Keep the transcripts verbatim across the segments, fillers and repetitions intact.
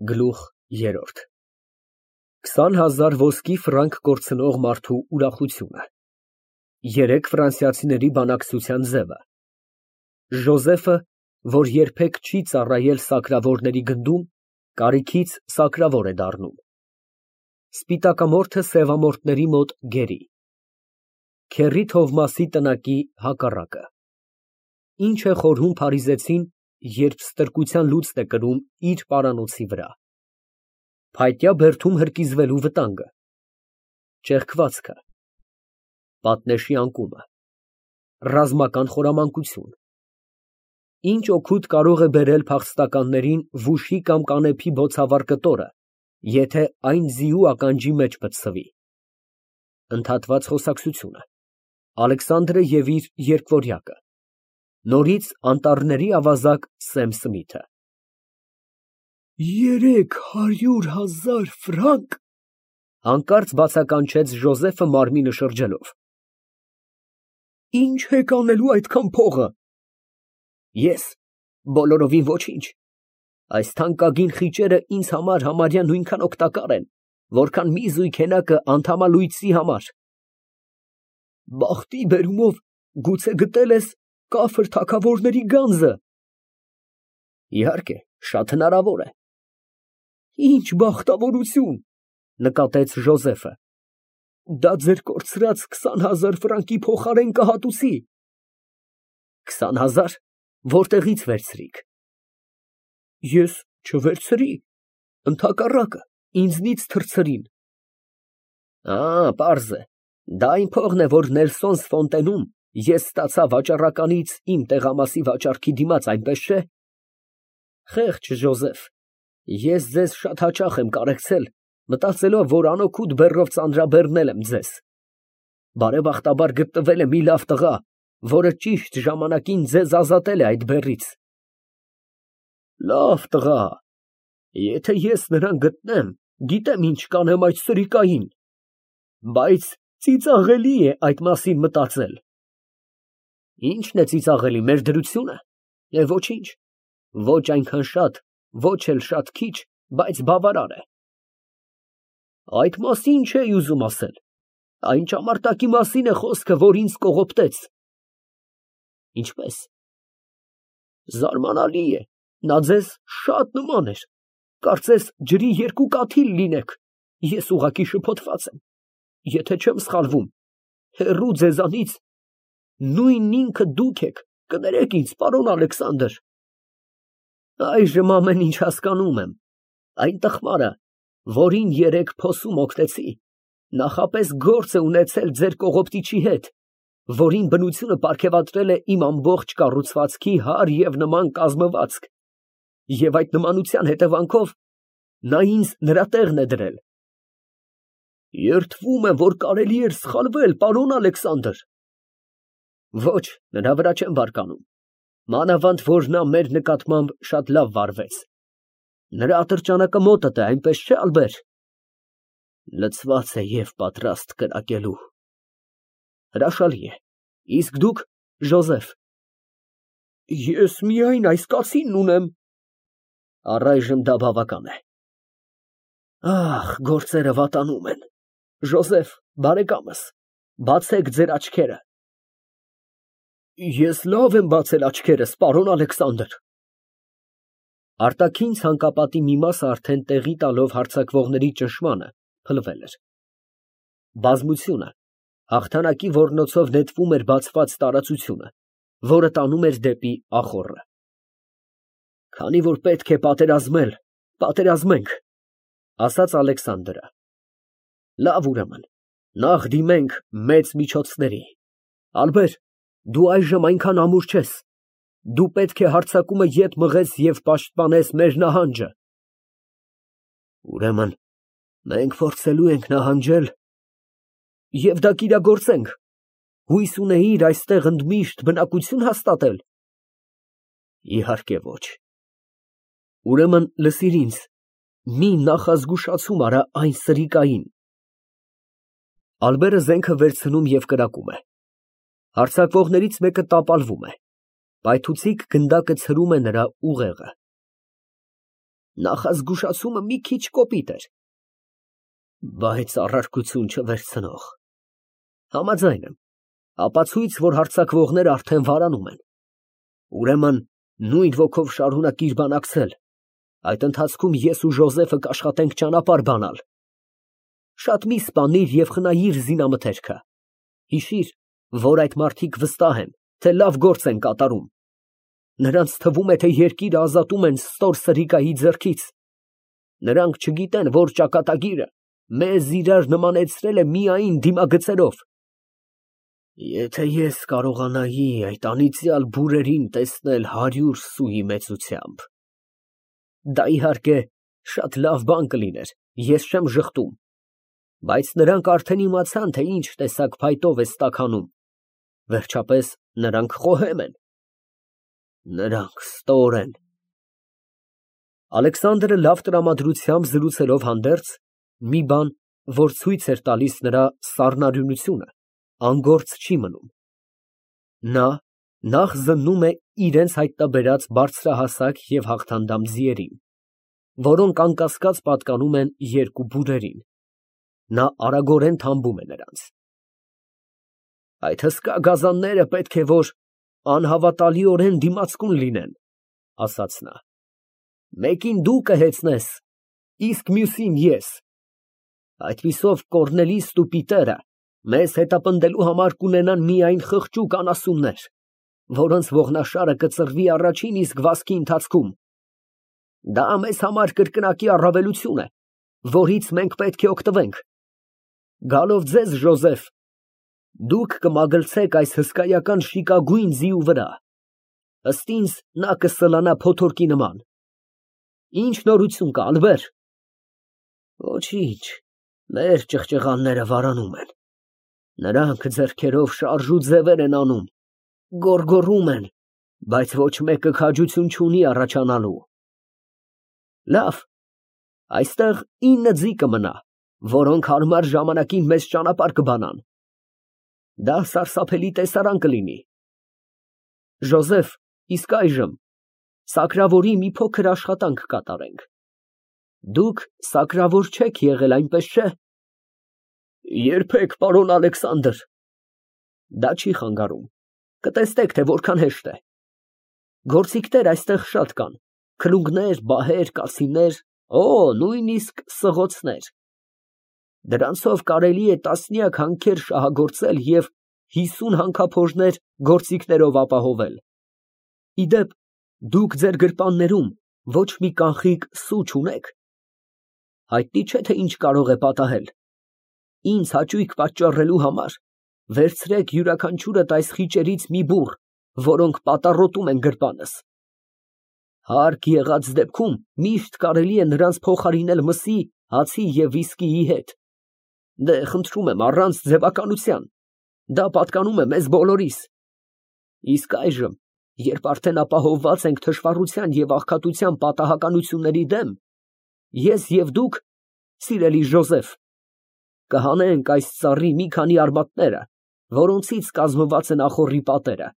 Գլուխ երրորդ Քսան հազար ոսկի ֆրանկ կորցնող մարդու ուրախությունը Երեք ֆրանսիացիների բանակցության ձևը Ժոզեֆը, որ երբեք չի ծառայել սակրավորների գնդում, կարիքից սակրավոր է դառնում Սպիտակամորթը սևամորթների մոտ գերի Քեռի Թովմասի տնակի հակառակը Ինչ է խորհում փարիզեցին, երբ ստրկության լուծն է կրում իր պարանոցի վրա Փայտյա բերդում հրկիզվելու վտանգը Ճեղքվածքը Պատնեշի անկումը Ռազմական խորամանկություն Ինչ օգուտ կարող է բերել փախստականներին վուշի կամ կանեփի բոցավառ կտորը, եթե այն ձիու ականջի մեջ պտսվի Ընդհատված խոսակցությունը Ալեքսանդրը և իր երկվորյակը Նորից անտառների ավազակ Սեմ Սմիթը Երեք հարյուր հազար ֆրանկ, հանկարծ բացականչեց Ժոզեֆը մարմինը շրջելով, Ինչ եք անելու այդքան փողը։ Ես, բոլորովին ոչինչ, այս թանկագին խիճերը ինձ համար համարյա նույնքան օգտակար են, որքան մի զույգ հենակը անդամալույսի համար։ Բախտի բերումով գուցե գտել ես կաֆր թագավորների գանձը։ Իհարկե, շատ հնարավոր է։ Ինչ բախտավորություն, նկատեց Ժոզեֆը։ Դա ձեր կորցրած քսան հազար ֆրանկի փոխարեն կհատուցի։ Քսան հազար, որտեղից վերցրիք։ Ես չվերցրի, ընդհակառակը, ինձնից թռցրին։ Ա, պարզ է, դա այն փողն է, որ Նելսոնս Ֆոնտենում ես ստացա վաճառականից իմ տեղամասի վաճառքի դիմաց, այնպես չէ։ Խեղճ Ժոզեֆ, ես ձեզ շատ հաճախ եմ կարեկցել, մտածելով, որ անօգուտ բեռով ծանրաբեռնել եմ ձեզ։ Բարեբախտաբար գտնվել է մի լավ տղա, որը ճիշտ ժամանակին ձեզ ազատել է այդ բեռից։ Լավ տղա, եթե ես նրան գտնեմ, գիտեմ ինչ կանեմ այդ սրիկային, բայց ծիծաղելի է այդ մասին մտածել։ Ի՞նչն է ծիծաղելի, մեր դրությունը։ Է ոչինչ, ոչ այնքան շատ, ոչ էլ շատ քիչ, բայց բավարար է։ Այդ մասին չէի ուզում ասել, այն ճամարտակի մասին է խոսքը, որ ինձ կողոպտեց։ Ինչպես։ Զարմանալի է, նա ձեզ շատ նման էր, կարծես ջրի երկու կաթիլ լինեք, ես ուղղակի շփոթված եմ, եթե չեմ սխալվում, հեռու ձեզանից, նույն ինքը դուք եք, կներեք ինձ, պարոն Ալեքսանդր։ Այժմ ամեն ինչ հասկանում եմ, այն տխմարը, որին երեկ փոսում օգնեցի, նախապես գործ է ունեցել ձեր կողոպտիչի հետ, որին բնությունը պարգևատրել է իմ ամբողջ կառուցվածքի հարր և նման կազմվածք, և այդ նմանության հետևանքով նա ինձ նրա տեղն է դրել։ Երդվում եմ, որ կարելի էր սխալվել, պարոն Ալեքսանդր։ Ոչ, նրա վրա չեմ բարկանում, մանավանդ, որ նա մեր նկատմամբ շատ լավ վարվեց։ Նրա ատրճանակը մոտդ է, այնպես չէ, Ալբեր։ Լցված է և պատրաստ կրակելու։ Հրաշալի է, իսկ դուք, Ժոզեֆ։ Ես միայն այս կացինն ունեմ։ Առայժմ դա բավական է։ Ախ, գործերը վատանում են։ Ժոզեֆ, բարեկամս, բացեք ձեր աչքերը։ Ես լավ եմ բացել աչքերս, պարոն Ալեքսանդր։ Արտաքին ցանկապատի մի մասը արդեն տեղի տալով հարձակվողների ճնշմանը, փլվել էր։ Բազմությունը հաղթանակի ոռնոցով նետվում էր բացված տարածությունը, որը տանում էր դեպի ախոռը։ Քանի որ պետք է պատերազմել, պատերազմենք, ասաց Ալեքսանդրը։ Լավ, ուրեմն, նախ դիմենք մեծ միջոցների։ Ալբեր, դու այժմ այնքան ամուր չես, դու պետք է հարձակումը ետ մղես և պաշտպանես մեր նահանջը։ Ուրեմն, մենք փորձելու ենք նահանջել և դա կիրագործենք, հույս ունեիր այստեղ ընդմիշտ բնակություն հաստատել։ Իհարկե ոչ։ Ուրեմն լսիր ինձ, մի նախազգուշացում արա այն սրիկային։ Ալբերը զենքը վերցնում և կրակում է։ Հարձակվողներից մեկը տապալվում է, պայթուցիկ գնդակը ցրում է նրա ուղեղը։ Նախազգուշացումը մի քիչ կոպիտ էր, բայց առարկություն չվերցնող։ Համաձայն եմ, ապացույց, որ հարձակվողները արդեն վարանում են։ Ուրեմն նույն ոգով շարունակիր բանակցել, այդ ընթացքում ես ու Ժոզեֆը կաշխատենք ճանապարհ բանալ։ Շատ մի սպանիր և խնայիր զինամթերքը, հիշիր, որ այդ մարդիկ վստահ են, թե լավ գործ են կատարում։ Նրանց թվում է, թե երկիրը ազատում են ստոր սրիկայի ձեռքից։ Նրանք չգիտեն, որ ճակատագիրը մեզ իրար նմանեցրել է միայն դիմագծերով։ Եթե ես կարողանայի այդ անիծյալ բուրերին տեսնել հարյուր սուի մեծությամբ… Դա, իհարկե, շատ լավ բան կլիներ, ես չեմ ժխտում, բայց նրանք արդեն իմացան, թե ինչ տեսակ փայտով ես տաքանում, վերջապես նրանք խոհեմ են։ Նրանք ստոր են։ Ալեքսանդրը լավ տրամադրությամբ զրուցելով հանդերձ, մի բան, որ ցույց էր տալիս նրա սառնարյունությունը, անգործ չի մնում։ Նա նախ զննում է իրենց հայտնաբերած բարձրահասակ և հաղթանդամ ձիերին, որոնք անկասկած պատկանում են երկու բուրերին։ Նա արագորեն թամբում է նրանց։ Այդ հսկա գազանները պետք է որ անհավատալիորեն դիմացկուն լինեն, ասաց նա։ Մեկին դու կհեծնես, իսկ մյուսին ես։ Այդպիսով Կոռնելիսն ու Պիտերը մեզ հետապնդելու համար կունենան միայն խղճուկ անասուններ, որոնց ողնաշարը կծռվի առաջին իսկ վազքի ընթացքում։ Դա մեզ համար կրկնակի առավելություն է, որից մենք պետք է օգտվենք։ Գալով ձեզ, Ժոզեֆ, դուք կմագլցեք այս հսկայական շիկագույն ձիու վրա, ըստ ինձ նա կսլանա փոթորկի նման։ Ինչ նորություն կա, Ալբեր։ Ոչինչ, մեր ճղճղանները վարանում են։ Նրանք ձեռքերով շարժ ու ձևեր են անում, գոռգոռում են, բայց ոչ մեկը քաջություն չունի առաջանալու։ Լավ, այստեղ ինը ձի կմնա, որոնք հարմար ժամանակին մեզ ճանապարհ կբանան։ Դա սարսափելի տեսարան կլինի։ Ժոզեֆ, իսկ այժմ սակրավորի մի փոքր աշխատանք կատարենք։ Դուք սակրավոր չեք եղել, այնպես չէ։ Երբեք, պարոն Ալեքսանդր։ Դա չի խանգարում, կտեսնեք, թե որքան հեշտ է։ Գործիքներ այստեղ շատ կան, քլունգներ, բահեր, կացիններ, օ, նույնիսկ սղոցներ։ Դրանցով կարելի է տասնյակ հանքեր շահագործել և հիսուն հանքափորձներ գործիքներով ապահովել։ Ի դեպ, դուք ձեր գրպաններում ոչ մի կանխիկ սու չունեք։ Հայտնի չէ, թե ինչ կարող է պատահել։ Ինձ հաճույք պատճառելու համար վերցրեք յուրաքանչյուրդ այս խիճերից մի բուռ, որոնք պատառոտում են գրպանս։ Հարկ եղած դեպքում միշտ կարելի է նրանց փոխարինել մսի, հացի և վիսկիի հետ։ Դե, խնդրում եմ, առանց ձևականության, դա պատկանում է մեզ բոլորիս։ Իսկ այժմ, երբ արդեն ապահովված ենք թշվառության և աղքատության պատահականությունների դեմ, ես և դուք, սիրելի Ժոզեֆ, կհանենք այս ծառի մի քանի արմատները, որոնցից կազմված են ախոռի պատերը։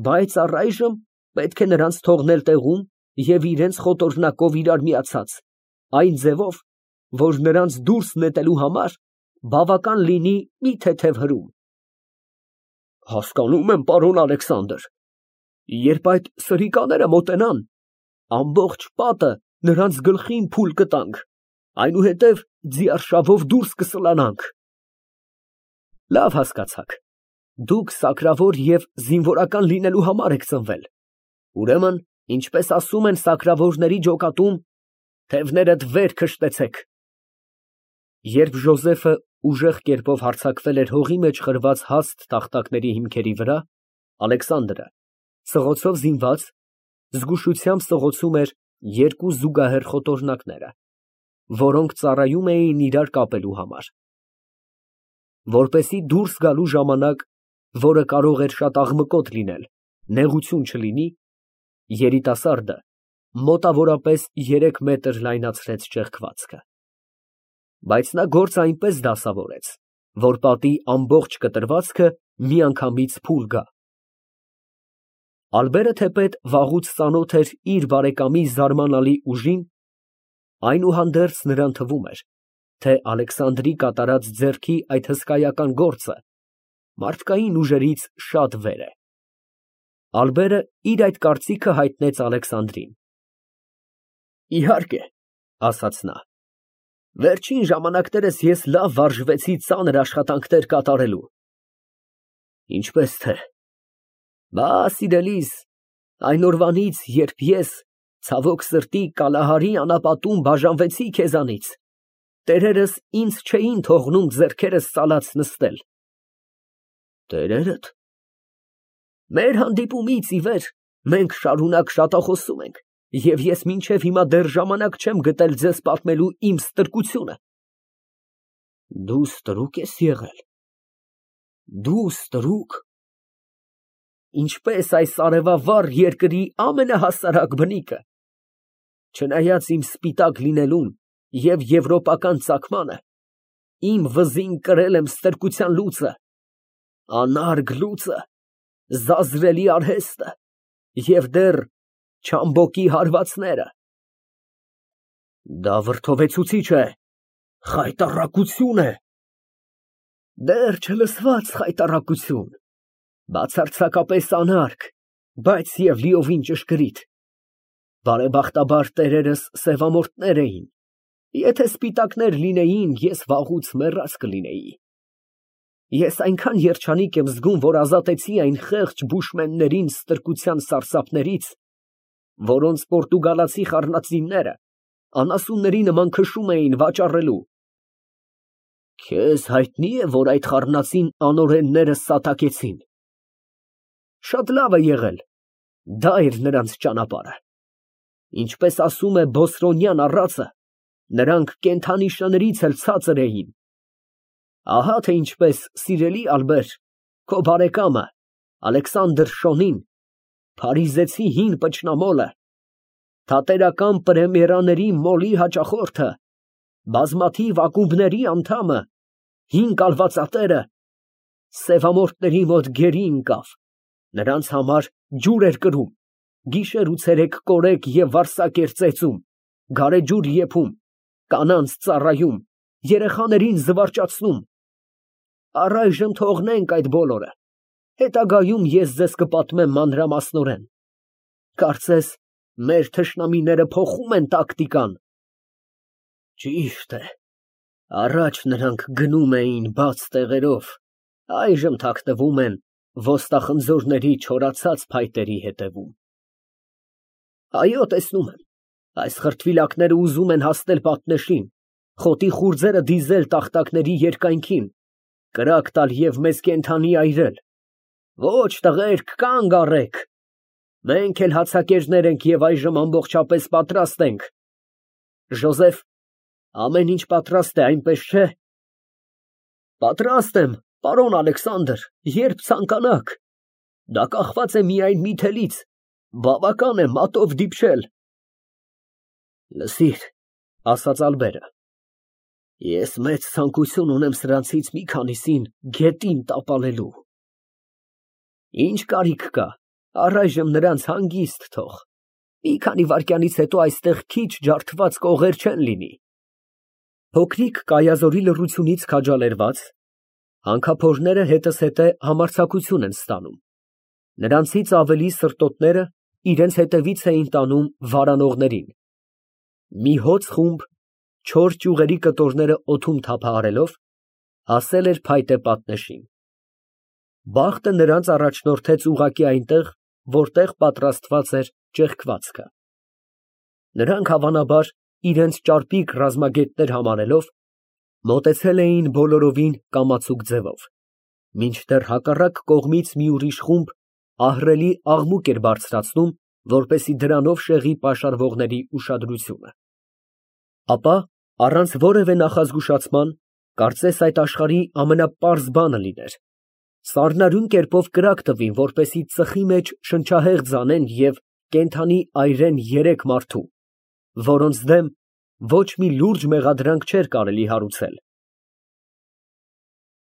Բայց առայժմ պետք է նրանց թողնել տեղում և իրենց խոտորնակով իրար միացած, այն ձևով, որ նրանց դուրս նետելու համար բավական լինի մի թեթև հրում։ Հասկանում եմ, պարոն Ալեքսանդր։ Երբ այդ սրիկաները մոտենան, ամբողջ պատը նրանց գլխին փուլ կտանք, այնուհետև ձիարշավով դուրս կսլանանք։ Լավ, հասկացաք, դուք սակրավոր և զինվորական լինելու համար եք ծնվել, ուրեմն, ինչպես ասում են սակրավորների ջոկատում, թևներդ վեր քշտեցեք։ Երբ Ժոզեֆը ուժեղ կերպով հարձակվել էր հողի մեջ խրված հաստ տախտակների հիմքերի վրա, Ալեքսանդրը, սղոցով զինված, զգուշությամբ սղոցում էր երկու զուգահեռ խոտորնակները, որոնք ծառայում էին իրար կապելու համար։ Որպեսզի դուրս գալու ժամանակ, որը կարող էր շատ աղմկոտ լինել, նեղություն չլինի, երիտասարդը մոտավորապես երեք մետր լայնացրեց ճեղքվածքը։ Բայց նա գործը այնպես դասավորեց, որ պատի ամբողջ կտրվածքը միանգամից փուլ գա։ Ալբերը թեպետ վաղուց ծանոթ էր իր բարեկամի զարմանալի ուժին, այնուհանդերձ նրան թվում էր, թե Ալեքսանդրի կատարած ձեռքի այդ հսկայական գործը մարդկային ուժերից շատ վեր է։ Ալբերը իր այդ կարծիքը հայտնեց Ալեքսանդրին։ Իհարկե, ասաց նա, վերջին ժամանակներս ես լավ վարժվեցի ծանր աշխատանքներ կատարելու։ Ինչպես թե։ Բա, սիրելիս, այն օրվանից, երբ ես, ցավոք սրտի, Կալահարի անապատում բաժանվեցի քեզանից, տերերս ինձ չէին թողնում ձեռքերս ծալած նստել։ Տերերդ։ Մեր հանդիպումից ի վեր մենք շարունակ շատախոսում ենք, և ես մինչև հիմա դեռ ժամանակ չեմ գտել ձեզ պատմելու իմ ստրկությունը։ Դու ստրուկ ես եղել։ Դու ստրուկ։ Ինչպես այս արևավառ երկրի ամենահասարակ բնիկը, չնայած իմ սպիտակ լինելուն և եվրոպական ծագմանը, իմ վզին կրել եմ ստրկության լուծը, անարգ լուծը, զազրելի արհեստը և դեռ չամբոկի հարվածները։ Դա վրդովեցուցիչ է, խայտառակություն է։ Դեռ չլսված խայտառակություն, բացարձակապես անարգ, բայց և լիովին ճշգրիտ։ Բարեբախտաբար տերերս սևամորթներ էին, եթե սպիտակներ լինեին, ես վաղուց մեռած կլինեի։ Ես այնքան երջանիկ եմ զգում, որ ազատեցի այն խեղճ բուշմեններին ստրկության սարսափներից, որոնց պորտուգալացի խառնածինները անասունների նման քշում էին վաճառելու։ Քեզ հայտնի է, որ այդ խառնածին անօրենները սատակեցին։ Շատ լավ է եղել, դա էր նրանց ճանապարհը։ Ինչպես ասում է Բոսրոնյան առածը, նրանք կենդանի շներից էլ ցածր էին։ Ահա թե ինչպես, սիրելի Ալբեր, քո բարեկամը, Ալեքսանդր Շոնին, փարիզեցի հին պճնամոլը, թատերական պրեմիերաների մոլի հաճախորդը, բազմաթիվ ակումբների անդամը, հին կալվածատերը, սևամորթների մոտ գերի ընկավ, նրանց համար ջուր էր կրում, գիշեր ու ցերեկ կորեկ և վարսակ էր ծեծում, գարեջուր եփում, կանանց ծառայում, երեխաներին զվարճացնում։ Առայժմ թողնենք այդ բոլորը, հետագայում ես ձեզ կպատմեմ մանրամասնորեն։ Կարծես, մեր թշնամիները փոխում են տակտիկան։ Ճիշտ է, առաջ նրանք գնում էին բաց տեղերով, այժմ թաքնվում են ոստախնձորների չորացած փայտերի հետևում։ Այո, տեսնում եմ, այս խրտվիլակները ուզում են հասնել պատնեշին, խոտի խուրձերը դիզել տախտակների երկայնքին, կրակ տալ և մեզ կենդանի այրել։ Ոչ, տղերք, կանգ առեք, մենք էլ հացակերներ ենք և այժմ ամբողջապես պատրաստ ենք։ Ժոզեֆ, ամեն ինչ պատրաստ է, այնպես չէ։ Պատրաստ եմ, պարոն Ալեքսանդր, երբ ցանկանաք։ Դա կախված է միայն մի թելից, բավական է մատով դիպչել։ Լսիր, ասաց Ալբերը, ես մեծ ցանկություն ունեմ սրանցից մի քանիսին գետին տապալելու։ Ինչ կարիք կա, առայժմ նրանց հանգիստ թող, մի քանի վայրկյանից հետո այստեղ քիչ ջարդված կողեր չեն լինի։ Փոքրիկ կայազորի լռությունից քաջալերված, հանքափորները հետզհետե համարձակություն են ստանում, նրանցից ավելի սրտոտները իրենց հետևից էին տանում վարանողներին։ Մի հոծ խումբ, չոր ճյուղերի կտորները օդում թափահարելով, հասել էր փայտե պատնեշին։ Բախտը նրանց առաջնորդեց ուղղակի այնտեղ, որտեղ պատրաստված էր ճեղքվածքը։ Նրանք հավանաբար, իրենց ճարպիկ ռազմագետներ համարելով, մոտեցել էին բոլորովին կամացուկ ձևով, մինչդեռ հակառակ կողմից մի ուրիշ խումբ ահռելի աղմուկ էր բարձրացնում, որպեսզի դրանով շեղի պաշարվողների ուշադրությունը։ Ապա, առանց որևէ նախազգուշացման, կարծես այդ աշխարհի ամենապարզ բանը լիներ, սառնարյուն կերպով կրակ տվին, որպեսզի ծխի մեջ շնչահեղձ անեն և կենդանի այրեն երեք մարդու, որոնց դեմ ոչ մի լուրջ մեղադրանք չէր կարելի հարուցել,